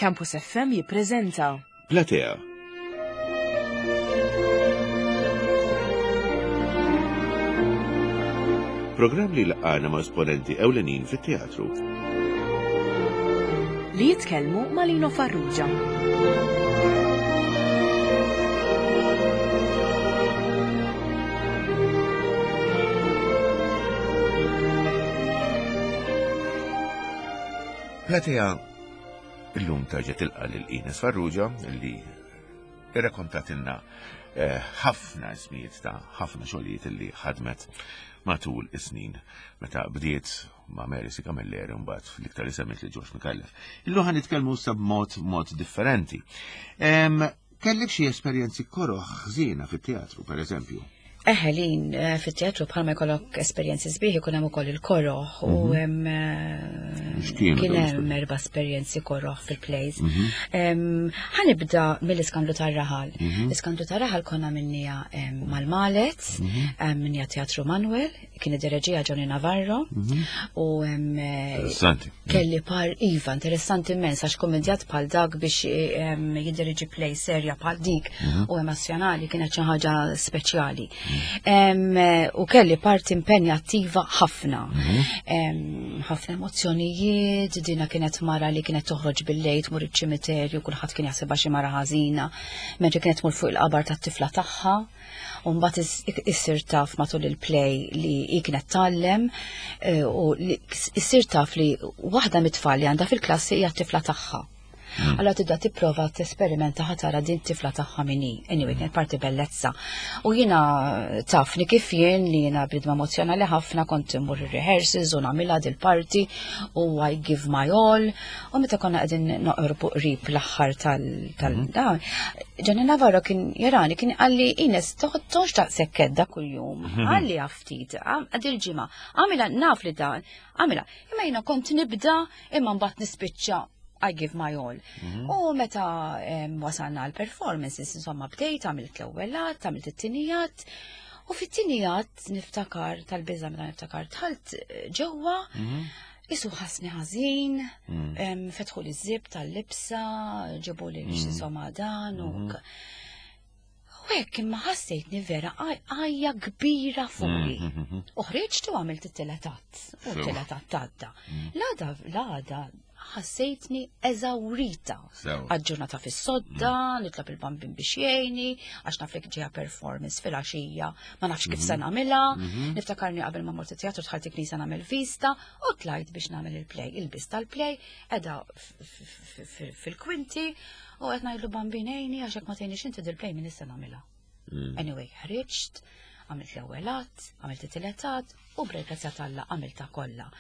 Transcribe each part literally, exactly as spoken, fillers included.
Campus F M jippreżenta Platea. Programm li laqana ma' esponenti ewlenin fit-teatru. Li jitkellmu ma' Lino Farrugia. Platea illum terġa' tilqa' lil Ines Farrugia, li irrakontatilna eh, ħafna ismijiet ta' ħafna xogħlijiet li ħadmet matul is-snin meta bdiet ma' Mary C. Camilleri, mbagħad fl-iktar li semmiet li George Micallef. Illum ħa nitkellmu sa b'mod mod differenti. Em, Kellek xi esperjenzi koroħ, ħżiena fit-teatru, per eżempju? Eħe, Lin, eh, fit-teatru bħalma jkollok esperjenzi sbieħ ikun hemm ukoll il-koroħ u hemm eh, X'kienu kien dawn hemm l-esperjenzi? Erba' esperjenzi koroħ fil-plays. Em, Ħa nibda mill-Iskandlu tar-Raħal. L-Iskandlu tar-Raħal konna minnija em, mal-Malez, em, minnija Teatru Manuel, kien id-reġija Johnny Navarro u em, eh, Interessanti. Kelli par iva, interessanti immens, għax kommedjat bħal dak biex em, jidderieġi play serja bħal dik u emozjonali kienet xi ħaġa speċjali. Em, eh, U kelli parti impenjattiva ħafna. Em, Ħafna emozzjonijiet, dina kienet mara li kienet toħroġ bil-lejl tmur iċ-ċimiterju, kulħadd kien jaħsibha xi mara ħażina, mentri kienet tmur fuq il-qabar tat-tifla tagħha. U mbagħad is- issir taf matul il-play li hi kienet tgħallem eh, u li issir taf li waħda mit-tfal li għandha fil-klassi hija t-tifla tagħha. Allora tibda tipprova tesperimenta ħa tara din tifla tagħha min hi. Anyway, kienet parti bellezza. U jiena tafni kif jien, li jiena bniedma emozjonali ħafna, kont immur ir-rehearsals u nagħmilha dil-parti u I give my all. U meta konna qegħdin noqorbu qrib l-aħħar tal tal da, Gianni Navarro kien jarani, kien qalli, "Ines, toħodx daqshekk kedda kuljum." Qalli ftit, dil-ġimgħa, għamilha, naf li dan, għamilha. Imma jiena kont nibda, imma mbagħad nispiċċa I give my all. U meta em, wasalna għal performances, insomma, bdejt, għamilt l-ewwel att, għamilt it-tieni att, u fit-tieni att niftakar, tal-biża meta niftakar, dħalt eh, ġewwa, isu ħasni ħażin, em, fetħu li zip tal-libsa, ġibu li insomma dan u U hekk, imma ħassejtni vera għajja kbira fuqi. U ħriġt u għamilt it-tielet att. U t-tielet att għadda. L-għada, l-għada ħassejtni eżawrita. Sew. Aġġurnata fis-sodda, nitlob il-Bambin biex jgħinni, għax naf li ġeja performance fil-għaxija, ma nafx kif se nagħmilha. Niftakarni qabel ma mort it-teatru dħalt il-knisja nagħmel vista u tlajt biex nagħmel il-play. Il-bis tal-play qiegħda fil-kwinti u qed ngħidlu, "Bambin, għinni, għax hekk ma tgħinix inti dil-play minn issa nagħmilha." Anyway, ħriġt, għamilt l-ewwel att, għamilt it-tielet att u b'grazzja t'Alla għamilta kollha.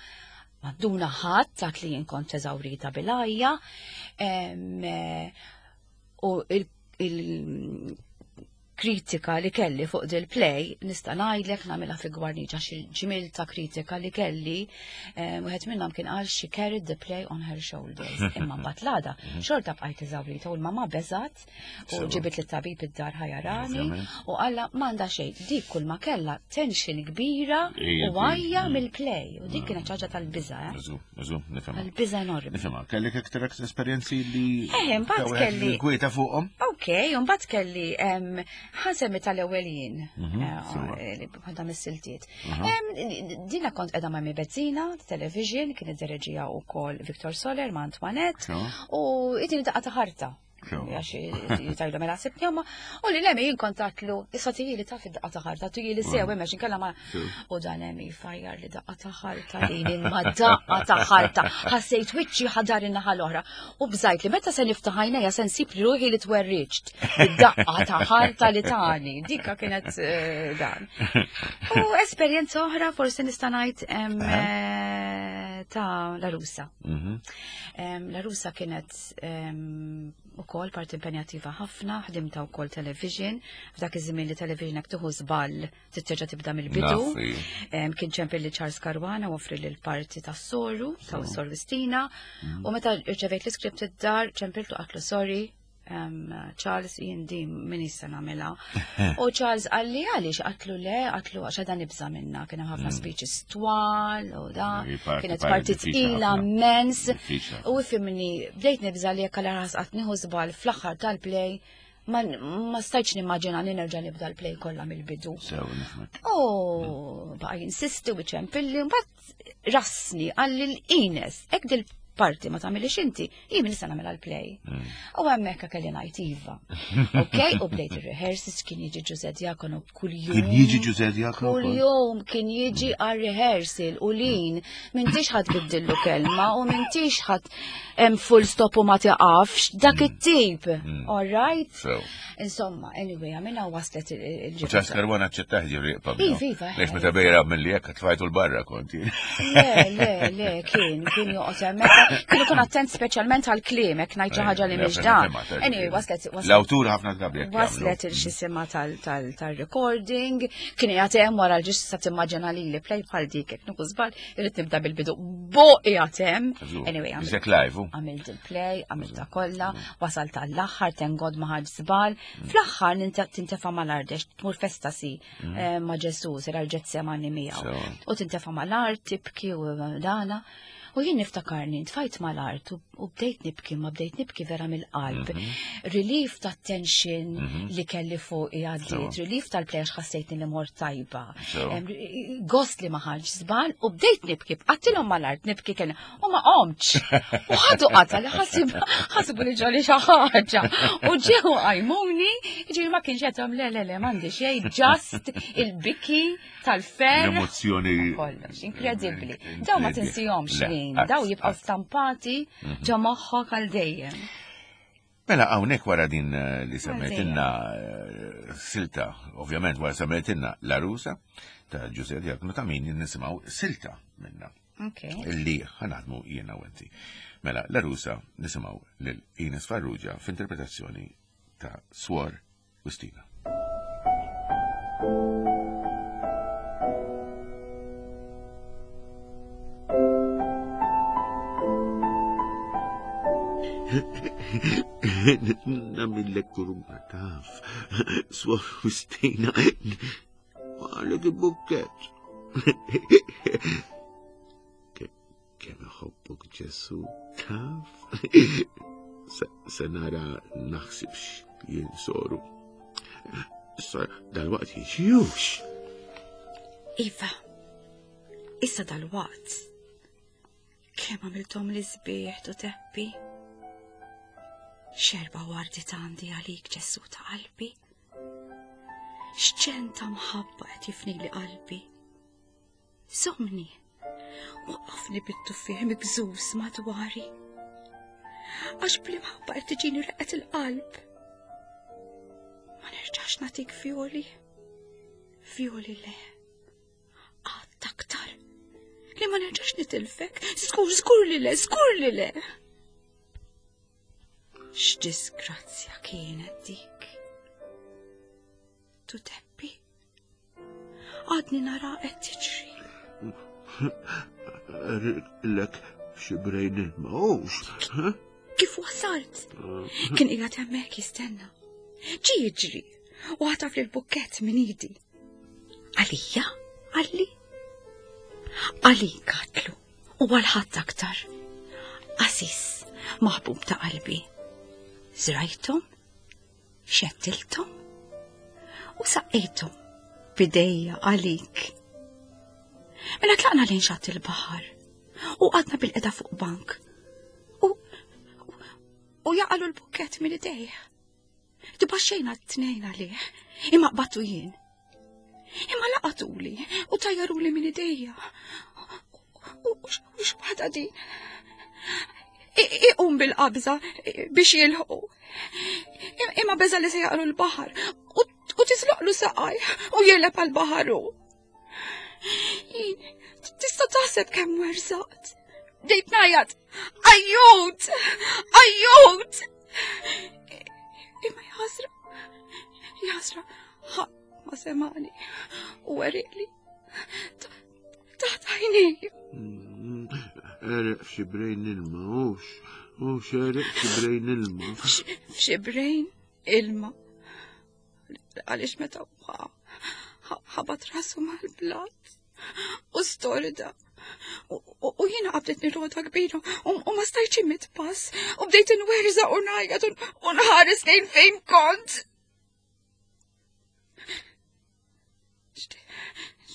Ma nduna ħadd tat li jien kont eżawrita bil-għajja em, eh, u il- il-kritika li kelli fuq dil-play nista' ngħidlek nagħmilha fi gwarniċa xi ġmil ta' kritika li kelli, eh, wieħed minnhom kien qal, "She carried the play on her shoulders." Imma mbagħad l-għada xorta bqajt eżawrita u l-mamma beżat u Sewa. ġibit lit-tabib id-dar ħa jarani Ovvjament. u qalla m'għandha xejn, dik kull ma kellha tension kbira Ija, u għajja mm. mill-play, u dik kienet ħaġa tal-biża, eh? Eżu, eżu, nifhimha. Tal-biża enormi. Nifhimha, kellek iktar esperjenzi li Eh, mbagħad ta' wieħed kelli- li kwieta fuqhom? Ok, u mbagħad kelli em, ħa nsemmi tal-ewwel jien Mhm, eh, sewa. li bħal mis-siltiet. Em, Dina kont qiegħda ma' Bezzina, television, kien id-reġija wkoll Victor Soler ma' Antoinette Sewa. u idini daqqa ta' ħarta. Sewa. Għax jitajlu mela sibni ma u li lemi jien kontatlu, issa tijili ta' fid-daqqa ta' ħarta, tijili sew, għax inkella ma u dan hemm jfajjar li daqqa ta' ħarta li ma daqqa ta' ħarta. Ħassejt wiċċi ħadar in-naħa l-oħra. U bżajt li meta se niftaħ għajnejja se nsib li ruħi li twerriġt. Id-daqqa ta' ħarta li tani. Dikka kienet eh, dan. U esperjenza oħra forsi nista' ngħid em, eh, ta' L-Għarusa. Mhm. Em, L-Għarusa kienet em, ukoll parti impenjattiva ħafna, ħdimta wkoll television, f'dak iż-żmien li television jekk tieħu żball titterġa' tibda mill-bidu. Naf, ija. Em, Kien ċempel li Charles Caruana u offri li l-parti tas-soru, ta' Sor Wistina, u meta rċevejt l-iskript id-dar, ċempiltu, għedtlu, "Sorry, Charles, jien din min issa nagħmilha. U Charles qalli għaliex, għedtlu le, għedtlu għax għadha nibża minna, kien hemm ħafna speeches twal u da, kienet parti tqila immens. U ifhimni, bdejt nibża li jekk għal qatt nieħu żball fl-aħħar tal-play, ma, ma stajtx nimmaġina li nerġa' nibda l-play kollha mill-bidu. Sew, nifhmek. U baqa' jinsisti u ċempilli, mbagħad rasni qalli l-Ines, hekk dil parti ma tagħmilix inti, jien nista' nagħmel l-play. U hemmhekk kelli ngħid iva. Ok, u bdejt ir-rehearsals, kien jiġi Ġuże Diacono kull jum. Kien jiġi Ġuże Diacono Kull wkoll? jum kien jiġi għal-rehearsal u lin m'intix ħadd biddillu kelma u m'intix ħadd hemm full stop u ma tiqafx, dak it-tip. All right? So. Insomma, anyway, għamilna waslet U il-ġimgħa. Charles Caruana aċċettaħ ġifieri Pablo. Iva, iva, Lex meta bejra mill-li jekk tfajtu l-barra konti. Le, le, le, kien, kien joqgħod hemmhekk. Kien ikun attent speċjalment għal-kliem, jekk ngħid xi ħaġa li mhix dan. Anyway, waslet waslet L-awtur ħafna drabi jekk Waslet il-xisima tal-recording, kien qiegħed hemm wara l-ġiex sa timmaġina li li play bħal dik jekk nieħu żball, irrid nibda bil-bidu. Bo qiegħed hemm. Anyway, għamilt Iżek live, u? għamilt il-play, għamilta kollha, wasalt għall-aħħar, thank God ma ħadx żball. Fl-aħħar ninte- tintefa' mal-art, tmur f'estasi eh, ma' Ġesu, sir għal-Ġetsemani miegħu. So. U tintefa' mal-art, tibki u dana. U jien niftakarni, ntfajt mal-art u u bdejt nibki, ma bdejt nibki vera mill-qalb. Relief ta' tension li kelli fuq għaddiet, relief tal-play għax ħassejtni li mort tajba. So. Em, Gost li ma ħadx żball u bdejt nibki, bqattilhom mal-art nibki kien u ma qomtx. U ħadu qata li ħasib ħasibu li ġrali xi ħaġa. U ġew għajmuni, ġifieri ma kienx qedhom le le le m'għandi xejn, just il-biki tal-ferħ. L-emozzjoni. Kollox, inkredibbli. Daw ma tinsihomx Le, lin, qatt, daw jibqgħu qatt. stampati ġo moħħok għal dejjem. Mela, hawnhekk wara din eh, li semmejtilna eh, silta, ovvjament wara semmejtilna l-Għarusa ta' Ġuże Diacono ta' min nisimgħu silta minna. Ok. Illi ħa naħdmu jiena u inti. Mela, l-Għarusa nisimgħu lil Ines Farrugia f'interpretazzjoni ta' Swor Wistina. Nagħmillek kuruna taf, Swor Wistina, għalek il-bukket. Kemm iħobbok Ġesu taf? Se nara naħsibx jien soru. Issa dal-waqt jiġux. Iva, issa dal-waqt. Kemm għamiltom li sbieħ tu teppi? Xerba wardi għandi għalik Ġesu ta' qalbi. X'ġenn ta' mħabba qed jifnili qalbi. Żommni, waqqafni bit-tuffieħ migżuż madwari. Għax bl-imħabba qed tiġini reqet il-qalb. Ma nerġax nagħtik fjoli. Fjoli le. Qatt aktar. Li ma nerġax nitilfek. Żgur, żgur li le, żgur li le. X'disgrazzja kienet dik. Tuteppi. Għadni nara qed tiġri. Lek xibrejn il-mawx. Kif wasalt? Kien qiegħed hemmhekk jistenna. Ġi jiġri u ħataf li l-bukkett minn idi. Għalija? Għalli? Għalik għedtlu u għal ħadd aktar. Asis, maħbub ta' qalbi. Zrajthom, xettilthom u saqqejthom bidejja għalik. Mela tlaqna lejn xatt il-baħar u qgħadna bilqiegħda fuq bank. U, u, u jaqalu l-bukket minn idejh. Tbaxxejna t-tnejn għalih, imma qbadtu jien. Imma laqatuli u tajjaruli minn idejja. U u x'waħda din? Iqum bil-qabża biex jilħqu. Imma beża li se jaqalu l-baħar u u tiżloqlu saqaj u jeleb għal-baħar u. Tista' taħseb kemm werżaqt. Bdejt ngħajjat, ajjut, ajjut! Imma jaħasra, jaħasra, ħadd ma semani u għeriqli. Taħt għajnejja. Għereq f'xibrejn il-mawx. U xereq xibrejn ilma. F'xibrejn ilma. Għaliex meta waqa' ħabat rasu mal-blat u storda. U jiena qabditni roda kbira u ma stajtx immid pass u bdejt inwerżaq u ngħajjat u nħares lejn fejn kont.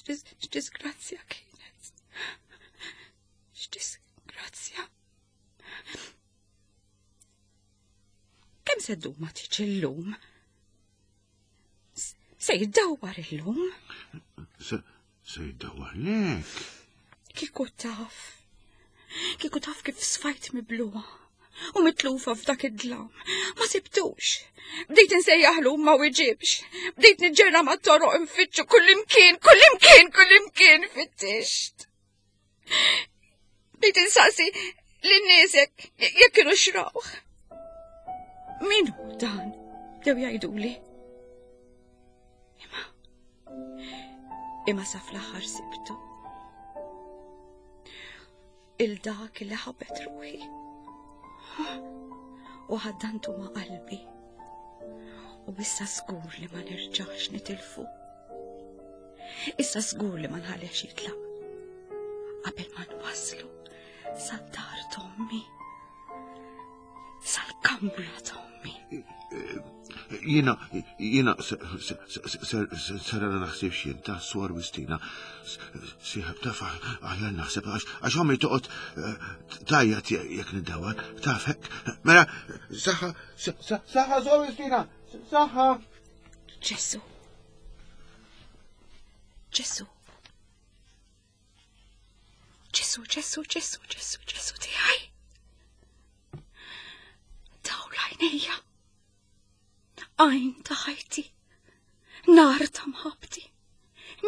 X'disgrazzja kienet. X'disgrazzja. Kemm se ddum ma tiġi llum? Se jiddawwar illum? Se jiddawwar lek. Kieku taf. Kieku taf kif sfajt mibluha u mitlufa f'dak id-dlam. Ma sibtux. Bdejt insejjaħlu ma wiġibx. Bdejt niġġerra mat-toroq infittxu kullimkien, kullimkien, kullimkien fittixt. Bdejt insaqsi lin-nies jekk kienu xrawh. Min hu dan? Bdew jgħiduli. Imma imma sa fl-aħħar sibtu. Il-dak li ħabbet ruħi. U ħaddantu ma' qalbi. U issa żgur li ma nerġax nitilfu. Issa żgur li ma nħallihx jitlaq. Qabel ma nwasslu sad-dar t'ommi. Sal-kamra t'ommi. Jiena, jiena, ser naħseb xien ta' Swor Wistina. Sieħeb taf aħjar naħseb għax ommi toqgħod tajjat jekk niddawar, taf hekk. Mela, saħħa, saħħa Swor Wistina, saħħa. Ġesu. Ġesu. Ġesu, Ġesu, Ġesu, Ġesu, Ġesu tiegħi. Dawl għajnejja. Għajn ta' ħajti, nar ta' mħabbti,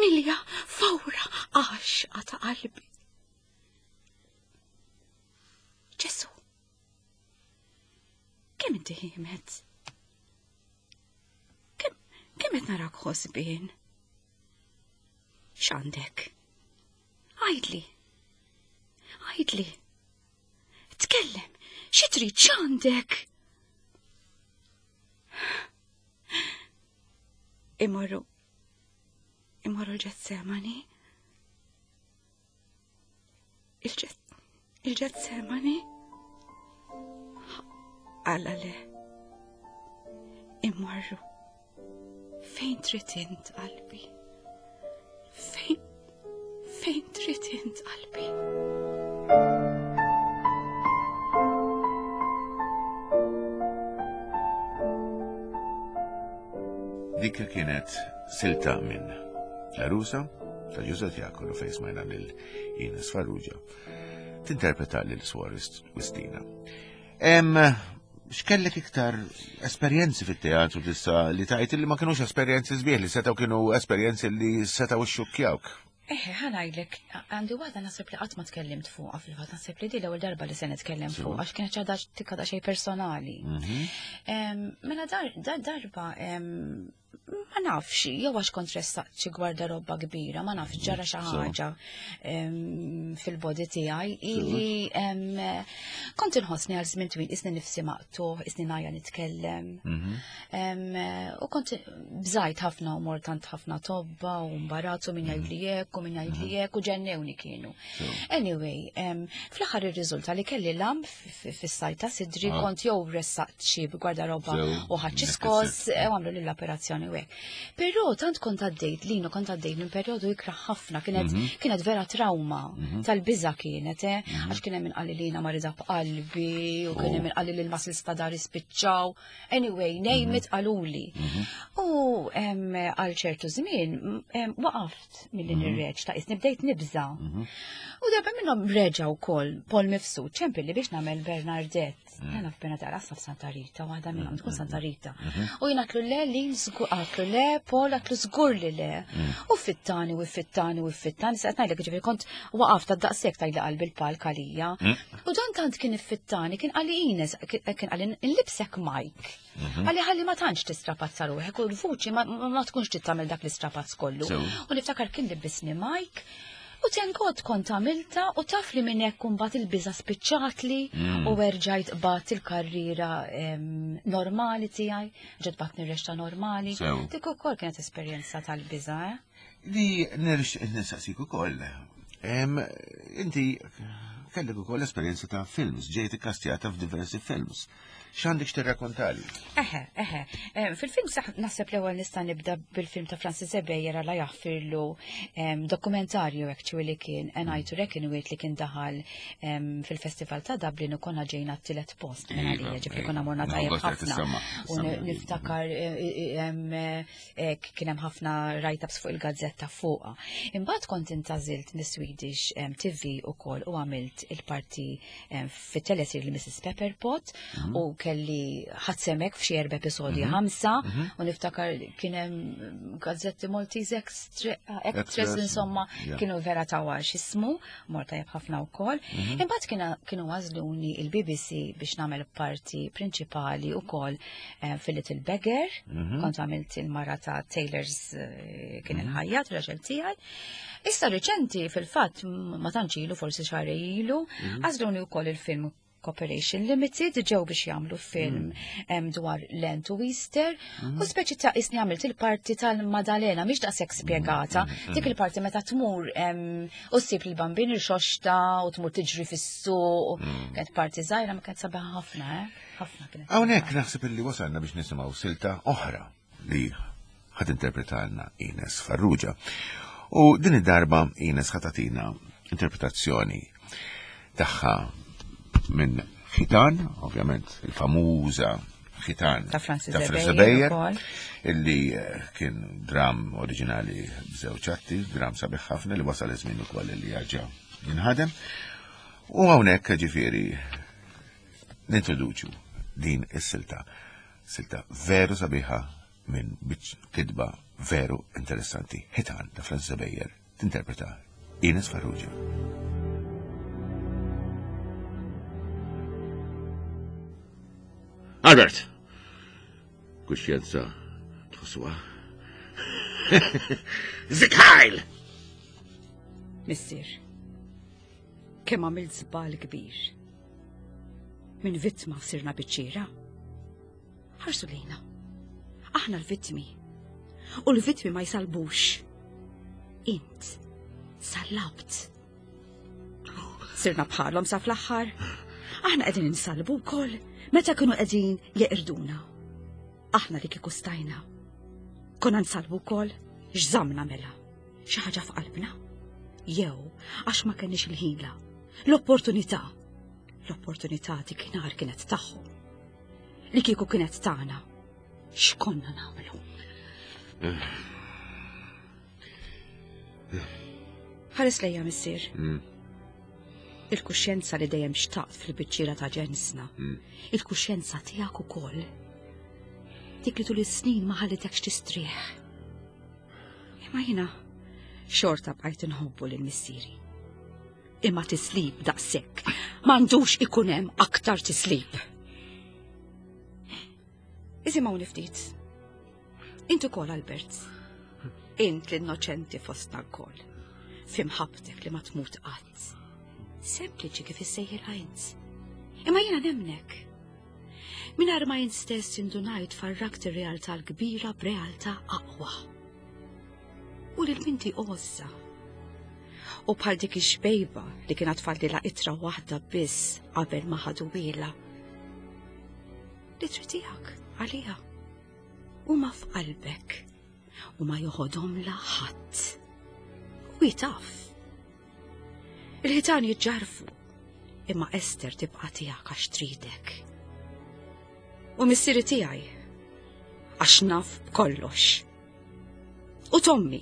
milja fawra għaxqa ta' qalbi. Ġesu, kemm inti ħiemet? Kemm kemm qed narak ħosbien? X'għandek? Għidli. Għidli. Tkellem, xi trid x'għandek? Imorru, imorru l-Ġetsemani. Il-Ġetsemani? Alla le. Imorru. Fejn trid int qalbi? Fejn, fejn trid int qalbi? Dik kienet silta minn L-Għarusa ta' Ġużè Diacono fejn smajna lil Ines Farrugia tinterpreta lil Swor Wistina. Em, x'kellek iktar esperjenzi fit-teatru tista' li tajt li ma kinux esperjenzi sbieħ li setgħu kienu esperjenzi li setgħu xxukkjawk? Eħe, ħa ngħidlek, għandi waħda naħseb li qatt ma tkellimt fuqha fil-fatt, naħseb li di l-ewwel darba li se nitkellem fuq għax kienet ċada tikka xejn personali. Mela darba ma nafx, jew għax kont ressaqt xi gwardarobba kbira, ma nafx ġara xi ħaġa fil-body tiegħi illi kont inħossni għal żmien twil isni nifsi maqtuħ, isni ngħajja nitkellem. U kont bżajt ħafna u mort tant ħafna tobba u mbarazzu min jgħidli hekk u min jgħidli hekk u ġennewni kienu. Anyway, fl-aħħar irriżulta li kelli lamp fis-sajta sidri kont jew ressaqt xi gwardarobba u ħadd xi skos u għamlu lill-operazzjoni u hekk. Però tant kont għaddejt linu kont għaddejt minn perjodu ikrah ħafna, kienet kienet vera trauma tal-biża kienet, eh, għax kien hemm inqalli li jiena marida b'qalbi u kien hemm inqalli li l-muscles ta' dari spiċċaw. Anyway, name it qaluli. U għal ċertu żmien waqaft milli nirreċta, isni bdejt nibża. U darba minnhom reġa' wkoll Paul Mifsud ċempilli biex nagħmel Bernardette. Nana f'Bernadette, għasna f'Santa Rita, waħda minnhom tkun Santa Rita. U jien għatlu le, li għatlu le, Paul għatlu żgur li le. U fittani, u fittani, u fittani, sa' ngħidlek ġifieri kont waqaft għad-daqshekk tajli qalbi l-palk għalija. U dan tant kien iffittani, kien qalli Ines, kien qalli nlibsek Mike. Qalli ħalli ma tantx tistrapazza ruħek u l-vuċi ma tkunx trid tagħmel dak l-istrapazz kollu. U niftakar kien libbisni Mike. U thank God kont għamilta u taf li minn hekk imbagħad il-biża spiċċatli Mm. u erġajt qbadt il-karriera em, normali tiegħi, ġed bat nirrexta normali. Sew. Dik ukoll kienet esperjenza tal-biża, eh? Li nirx nistaqsik ukoll. Em, Inti kellek ukoll esperjenza ta' films, ġejt ikkastjata f'diversi films. X'għandek x'tirrakkontali? Eħe, eħe. Eh, Fil-film saħ naħseb l-ewwel nista' nibda bil-film ta' Francis Ebejer alla jaħfirlu em, dokumentarju actually kien An Eye to Reckon With li kien daħal em, fil-Festival ta' Dublin u konna ġejna t-tielet post minn Iva, għalija, ġifieri iva. konna morna No, tajjeb gost qed ħafna. tissemma, U tissemma. niftakar eh, eh, em, eh, kien hemm ħafna write-ups fuq il-gazzetta fuqha. Imbagħad kont intgħażilt mis-Swedish em, T V ukoll u għamilt il-parti em, fit-teleserie li Missus Pepperpot u kelli ħadsemek f'xi erba' episodji, ħamsa, u niftakar kien hemm gazzetti Maltese Extra- Express Express, insomma, yeah. kienu vera tawa x'ismu, mort tajjeb ħafna wkoll. Imbagħad kiena- kienu għażluni il-B B C biex nagħmel parti prinċipali wkoll eh, fil-Little Beggar, kont għamilt il-mara ta' Taylor's eh, kien il-ħajjat, raġel tiegħi. Issa riċenti fil-fatt ma tantx ilu, forsi xahar ilu, għażluni wkoll il-Film Corporation Limited, ġew biex jagħmlu film em, dwar Lent u Easter u speċi ta' isni għamilt il-parti tal-Madalena, mhix daqshekk spjegata, dik il-parti meta tmur em, u ssib il-Bambin irxoxta u tmur tiġri fis-suq. Kienet parti żgħira ma kienet sabiħa ħafna, eh? Ħafna kienet. Hawnhekk naħseb illi wasalna biex nisimgħu silta oħra li ħa tinterpretalna Ines Farrugia. U din id-darba Ines ħa tagħtina interpretazzjoni tagħha minn Ħitan, ovvjament il-famuża Ħitan Ta' Francis ta' Francis Ebejer Ebejer, ukoll. illi eh, kien dram oriġinali b'żewġ atti, dram sabiħ ħafna li wasal iż-żmien ukoll li jerġa' jinħadem. U hawnhekk ġifieri nintroduċu din is-silta, silta veru sabiħa minn biċ kitba veru interessanti. Ħitan ta' Francis Ebejer, tinterpreta Ines Farrugia. Albert! Kuxjenza tħosswa. Zikħajl! Missier, kemm għamilt żball kbir. Minn vittma sirna biċċiera. Ħarsu lejna. Aħna l-vittmi. U l-vittmi ma jsalbux. Int sallabt. Sirna bħalhom sa fl-aħħar. Aħna qegħdin insalbu wkoll meta kienu qegħdin jeqirduna. Aħna li kieku stajna. Konna nsalbu wkoll. X'żamna mela? Xi ħaġa f'qalbna? Jew għax ma kenniex il-ħila, l-opportunità. L-opportunità dikinhar kienet tagħhom. Li kieku kienet tagħna, x'konna nagħmlu? Ħares lejja, missier. Il-kuxjenza li dejjem xtaqt fil-biċċiera ta' ġensna. Il-kuxjenza tiegħek ukoll. Dik li tul is-snin ma ħallitekx tistrieħ. Imma jiena xorta bqajt inħobbu lil missieri. Imma tislib daqshekk m'għandux ikun hemm aktar tislib. Isimgħuni ftit. Int ukoll, Albert. Int l-innoċenti fostna lkoll. F'imħabbtek li ma tmut qatt. Sempliċi kif issejħilha int. Imma jiena nemnek. Mingħajr ma jien stess indunajt farrakt ir-realtà l-kbira b'realtà aqwa. U lil binti għożża. U bħal dik ix-xbejba li kienet fadlilha ittra waħda biss qabel ma ħaduhielha. L-ittri tiegħek għaliha. U ma f'qalbek u ma joħodhomla ħadd. U jitaf. Il-ħitan jiġġarfu, imma Ester tibqa' tiegħek għax tridek. U missieri tiegħi għax naf b'kollox. U Tommy.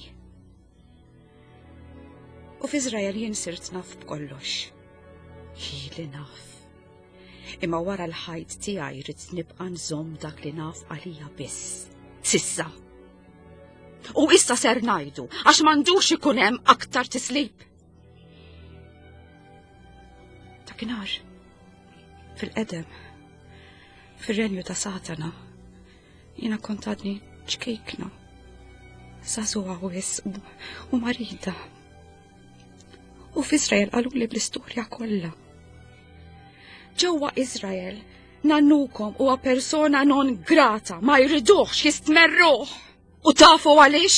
U f'Iżrael jien sirt naf b'kollox. Ili naf. Imma wara l-ħajt tiegħi rrid nibqa' nżomm dak li naf għalija biss. S'issa. U issa ser ngħidu għax m'għandux ikun hemm aktar tislib. Dakinhar, fil-qedem, fir-renju ta' Satana, jiena kont għadni ċkejkna. Żagħżugħa wisq u, u marida. U f'Iżrael qaluli bl-istorja kollha. Ġewwa Iżrael, nannukom huwa persona non grata, ma jriduhx jistmerruh. U tafu għaliex?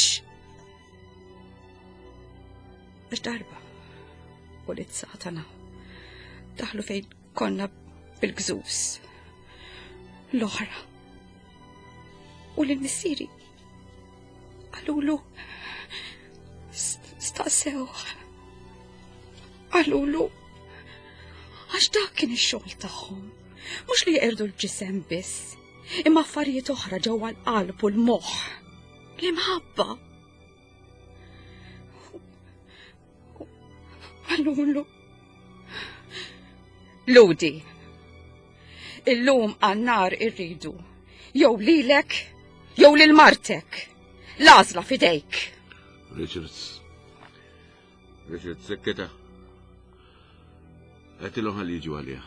Għax darba, u li Satana daħlu fejn konna bil-gżuż. L-oħra. U l-missieri qalulu staqsewh. Qalulu għax dak kien ix-xogħol tagħhom. Mhux li jeqirdu l-ġisem biss, imma affarijiet oħra ġewwa l-qalb u l-moħħ. L-imħabba. Qalulu Ludi, illum għan-nar irridu jew lilek jew lil martek. L-għażla f'idejk. Richards. Richards, sekketa. Għetilu ħalli jiġu għalija.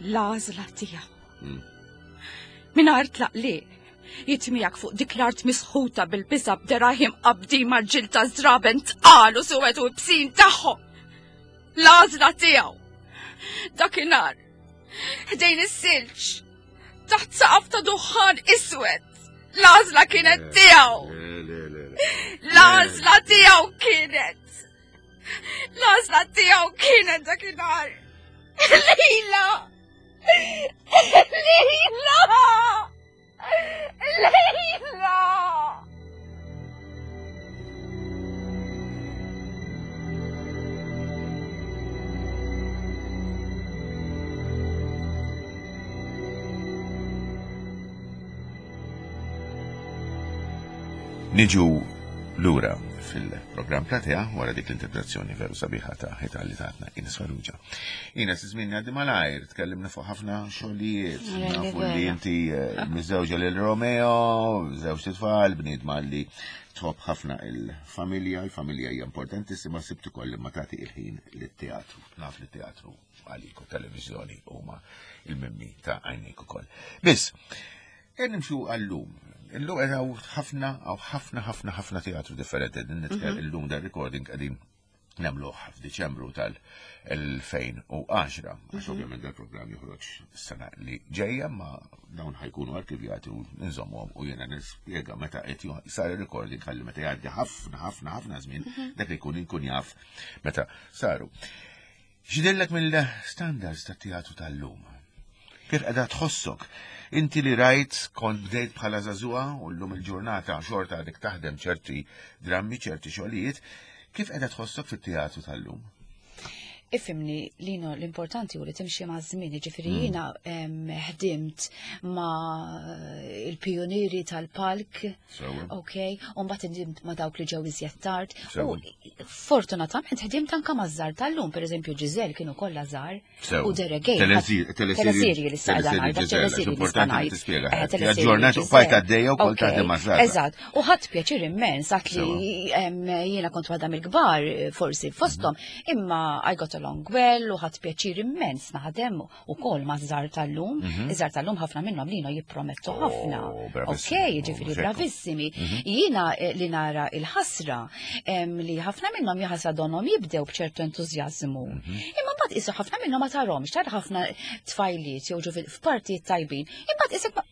L-għażla tiegħu. Mingħajr tlaqliq, jitmijak fuq dik l-art misħuta bil-biża' b'derahim qabdi mal-ġil ta' żraben tqal u suwed u bsin tagħhom. L-għażla tiegħu. Dakinhar, ħdejn is-silġ, taħt saqaf ta' duħħan iswed. L-għażla kienet tiegħu. Le, le, le, le. L-għażla tiegħu kienet. L-għażla tiegħu kienet dakinhar. Lejla! Lejla! Lejla! Niġu lura fil-programm Platea wara dik l-interpretazzjoni veru sabiħa ta' ħita li tatna Ines Farrugia. Ines, iż-żmien għaddi malajr, tkellimna fuq ħafna xogħlijiet, nafu li inti miżewġa lil Romeo, żewġ tfal, bniedma li tħobb ħafna il-familja, il-familja hija importantissima, sibt ukoll imma tagħti il-ħin lit-teatru. Naf li teatru għalik u televiżjoni huma il-mimmi ta' għajnejk ukoll. Biss, qed nimxu għallum. Illum qed hawn ħafna hawn ħafna ħafna ħafna teatru differenti. Din nitkellem illum dan recording qegħdin nagħmluh f'Diċembru tal-elfejn u għaxra, għax ovvjament dal-programm joħroġ s-sena li ġejja, ma dawn ħajkunu arkivjati u nżommhom u jiena nispjega meta qed sar ir-recording ħalli meta jgħaddi ħafna ħafna ħafna żmien dak li jkun inkun jaf meta saru. X'idillek mill-standards tat-teatru tal-lum? Kif qiegħda tħossok? Inti li rajt kont bdejt bħala żagħżugħa u llum il-ġurnata xorta għadek taħdem ċerti drammi, ċerti xogħlijiet, kif qiegħda tħossok fit-teatru tal-lum? Ifimni, Lino, l-importanti hu li timxi ma' żmien, jiġifieri jiena ħdimt ma' il-pioniri tal-palk, ok, u mbagħad ħdimt ma' dawk li ġew iżjed tard, u fortunatament ħdimt anke maż-żgħar tal-lum, pereżempju Giselle kienu kollha żgħar, u Deregej. Teleserji li sa ngħid, teleserji li sa ngħid. Aġġornat u bqajt għaddejja wkoll taħdem maż-żgħar. Eżatt, u ħadd pjaċir immens għad li jiena kont waħda mill-kbar forsi fosthom, imma I got along well u ħadd pjaċir immens naħdem ukoll maż-żgħar tal-lum. Iż-żgħar tal-lum ħafna minnhom lino jippromettu ħafna. Ok, jiġifieri bravissimi. Jiena li nara il-ħasra li ħafna minnhom jaħasra donhom jibdew b'ċertu entużjażmu. Imma mbagħad isu ħafna minnhom ma tarhomx, tara ħafna tfajliet jew ġu f'partijiet tajbin, imbagħad isek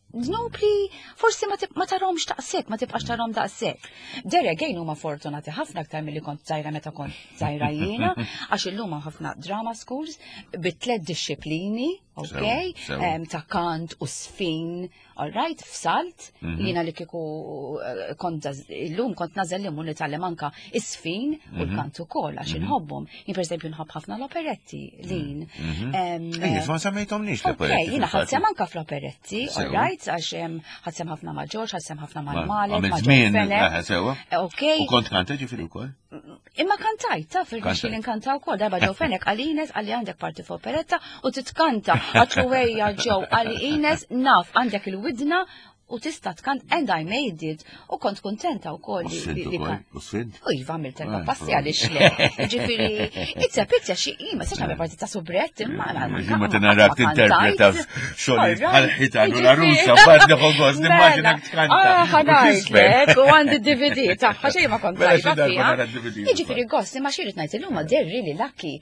dnub li forsi ma tarhomx daqshekk, ma tibqax tarhom daqshekk. Deregejn huma fortunati ħafna aktar milli kont żgħira meta kont żgħira jiena, għax illum hawn ħafna drama schools bi tliet dixxiplini, ok, ta' kant u sfin, all right, f'salt, jiena li kieku kont illum kont nażel li mmur nitgħallem anka is-sfin u l-kant ukoll għax inħobbhom. Jien pereżempju nħobb ħafna l-operetti lin. Ejja, ma semmejthomniex l-operetti. Jiena ħadd sem anka fl-operetti, all right, għax ħadd sem ħafna ma' Ġorġ, ħadd sem ħafna mal-Malek, ma' Ġorġ. Ok. U kont kanta ġifieri wkoll? Imma kantajt, taf, irnexxieli nkanta wkoll, darba ġew Fenek għal Ines għalli għandek parti f'operetta u titkanta. Għatlu ejja ġew għal Ines naf għandek il-widna u tista' tkant and I made it u kont kontenta wkoll U li s-sint li ukoll, kan. u s-sint. U iva għamilt erba' Ah, passi bravo. għaliex le. Ġifieri, it's a pity għax ma setax nagħmel parti ta' soubrette imma ma- ma- Ġimma ma- t-narak ma tinterpreta kantajt. xogħlijiet Alright. bħal ħitan u la russa, mbagħad nieħu gost nimmaġinak tkanta. Ah, ħa ngħidlek, u għandi D V D tagħha xejn ma kont Mela xi tajba darba fiha. nara D V D. Jiġifieri gost, imma xi rrid ngħid illum they're really lucky.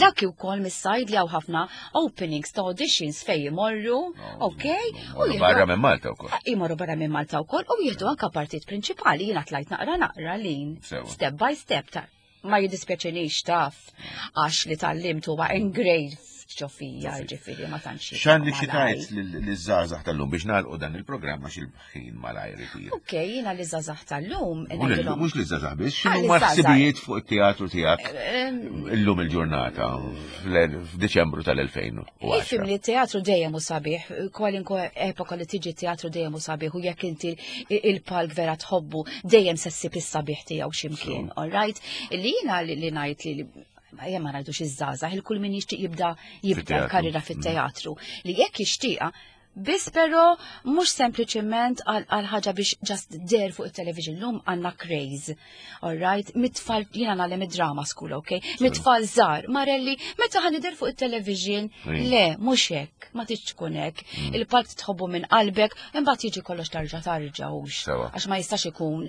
Lucky wkoll mis-side li hawn ħafna openings ta' auditions fejn jmorru, okay? U Morru barra minn Malta wkoll. Imorru barra minn Malta wkoll u jieħdu anka partit prinċipali, jiena tlajt naqra naqra lin. Sewa. Step by step ta' ma jiddispjaċinix taf għax li tgħallimt huwa engraved ġo fija, ġifieri ma tantx. X'għandek xi malaj. tgħid liż-żgħażagħ tal-lum biex nagħlqu dan il-programm għax il-ħin malajr itir. Ok, jiena li żgħażagħ tal-lum. U lil- Mhux li żgħażagħ biss, Ah, x'inhu ma liż-żgħażagħ. ħsibijiet fuq it-teatru tiegħek illum il-ġurnata f'Diċembru tal-elfejn u għaxra. Ifhem li teatru dejjem hu sabiħ, kwalinkwe epoka li tiġi teatru dejjem hu sabiħ u jekk inti il-palk vera tħobbu dejjem se ssib is-sabiħ tiegħu x'imkien, all right? Li jiena li li ngħid li ejja ma ngħidux iż-żgħażagħ, il kull min jixtieq jibda jibda Fit-teatru. l-karriera fit-teatru. Li jekk jixtieqa biss però mhux sempliċement għal għal ħaġa biex just der fuq il-television, lum għandna craze. All right? Mit-tfal, jiena ngħallem id-drama school, okay? Mit-tfal żgħar, marelli, meta ħa nidher fuq il-television, Ej. le, mhux hekk, ma tridx tkun hekk. Il-palk tħobbu minn qalbek, imbagħad jiġi kollox tarġa tarġa hux. Sewa. Għax ma jistax ikun.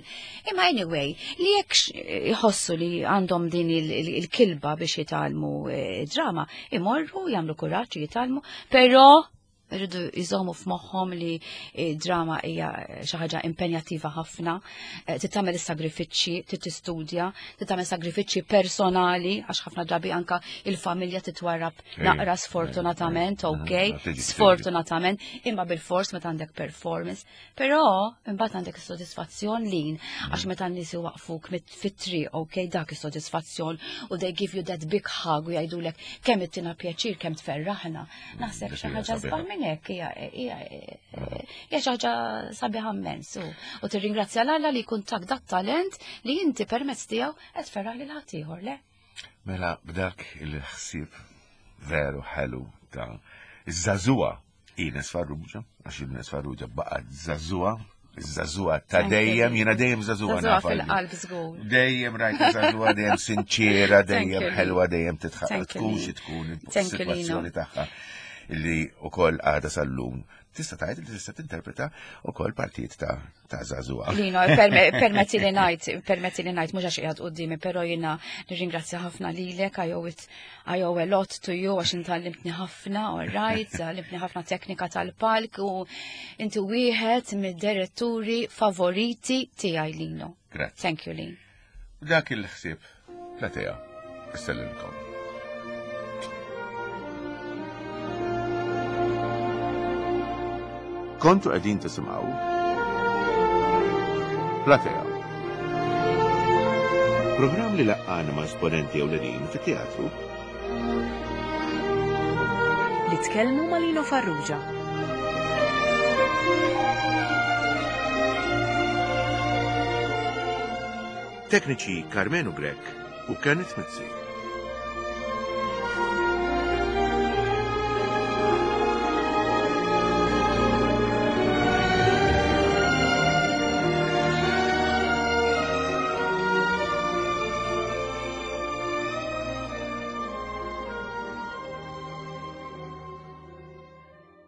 Imma anyway, li jekk x- jħossu li għandhom din il- il- il-kilba biex jitgħallmu eh, drama, imorru, jagħmlu kuraġġ jitgħallmu, però rridu jżommu f'moħħhom li eh, drama hija xi ħaġa impenjattiva ħafna, eh, trid tagħmel is-sagrifiċċji, trid tistudja, trid tagħmel sagrifiċċji personali għax ħafna drabi anka il-familja titwarrab Ej, naqra sfortunatament, ej, ok, ej, tiġi, tiġi. sfortunatament, imma bil-fors meta għandek performance, però imbagħad għandek is-sodisfazzjon lin għax meta n-nies iwaqfuk mit- fit-triq, ok, dak is-sodisfazzjon u they give you that big hug u jgħidulek kemm ittina pjaċir, kemm tferraħna. Naħseb Dik xi hija ħaġa sabiħa. sbaħ minn hekk hija hija hija xi ħaġa sabiħa immens u u tirringrazzja 'l Alla li jkun tak dat talent li inti permezz tiegħu qed tferraħ lil ħaddieħor, le? Mela b'dak il-ħsieb veru ħelu ta' iż-żagħżugħa Ines Farrugia, għax Ines Farrugia baqgħet żagħżugħa, iż-żagħżugħa ta' Thank you. dejjem, jiena dejjem żagħżugħa Żagħżugħa nafha. fil-qalb żgur. Dejjem rajt żagħżugħa, dejjem sinċera, dejjem Thank you. ħelwa, dejjem titħaq Thank you, tkun Lino. xi tkun Thank you, Lino. is-sitwazzjoni tagħha li wkoll għadha sal-lum. Tista' tgħid li tista' tinterpreta wkoll partijiet ta' ta' żagħżugħa. Lino, perme- permetti li ngħid, permetti li ngħid, mhux għax qiegħed quddiemi, però jiena nirringrazzja ħafna lilek, I owe it, I owe a lot to you għax inti għallimtni ħafna, all right, għallimtni ħafna teknika tal-palk u inti wieħed mid-diretturi favoriti tiegħi Lino. Grazzi. Thank you, Lin. Dak il-ħsieb Platea, issellimkom. Kontu qegħdin tisimgħu Platea. Programm li laqqana ma' esponenti ewlenin fit-teatru. Li tkellmu ma' Lino Farrugia. Tekniċi Carmenu Grek u Kenneth Mizzi.